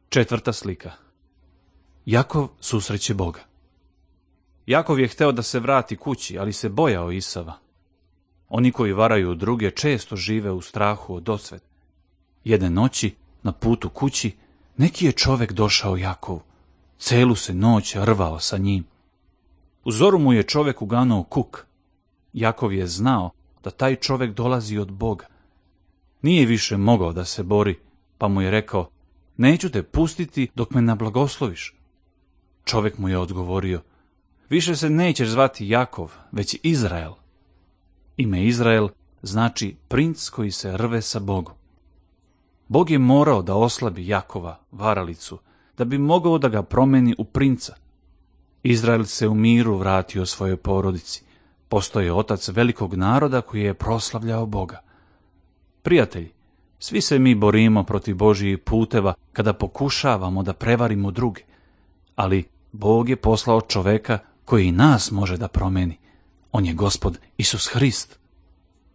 Četvrta slika. Jakov susreće Boga. Jakov je hteo da se vrati kući, ali se bojao Isava. Oni koji varaju druge često žive u strahu od osvete. Jedne noći, na putu kući, neki je čovek došao Jakovu. Celu se noć rvao sa njim. U zoru mu je čovek uganuo kuk. Jakov je znao da taj čovek dolazi od Boga. Nije više mogao da se bori, pa mu je rekao: neću te pustiti dok me nablagosloviš. Čovek mu je odgovorio: više se nećeš zvati Jakov, već Izrael. Ime Izrael znači princ koji se rve sa Bogom. Bog je morao da oslabi Jakova, varalicu, da bi mogao da ga promeni u princa. Izrael se u miru vratio svojoj porodici. Postao je otac velikog naroda koji je proslavljao Boga. Prijatelji, svi se mi borimo protiv Božjih puteva kada pokušavamo da prevarimo druge, ali Bog je poslao čoveka koji i nas može da promeni. On je Gospod Isus Hrist.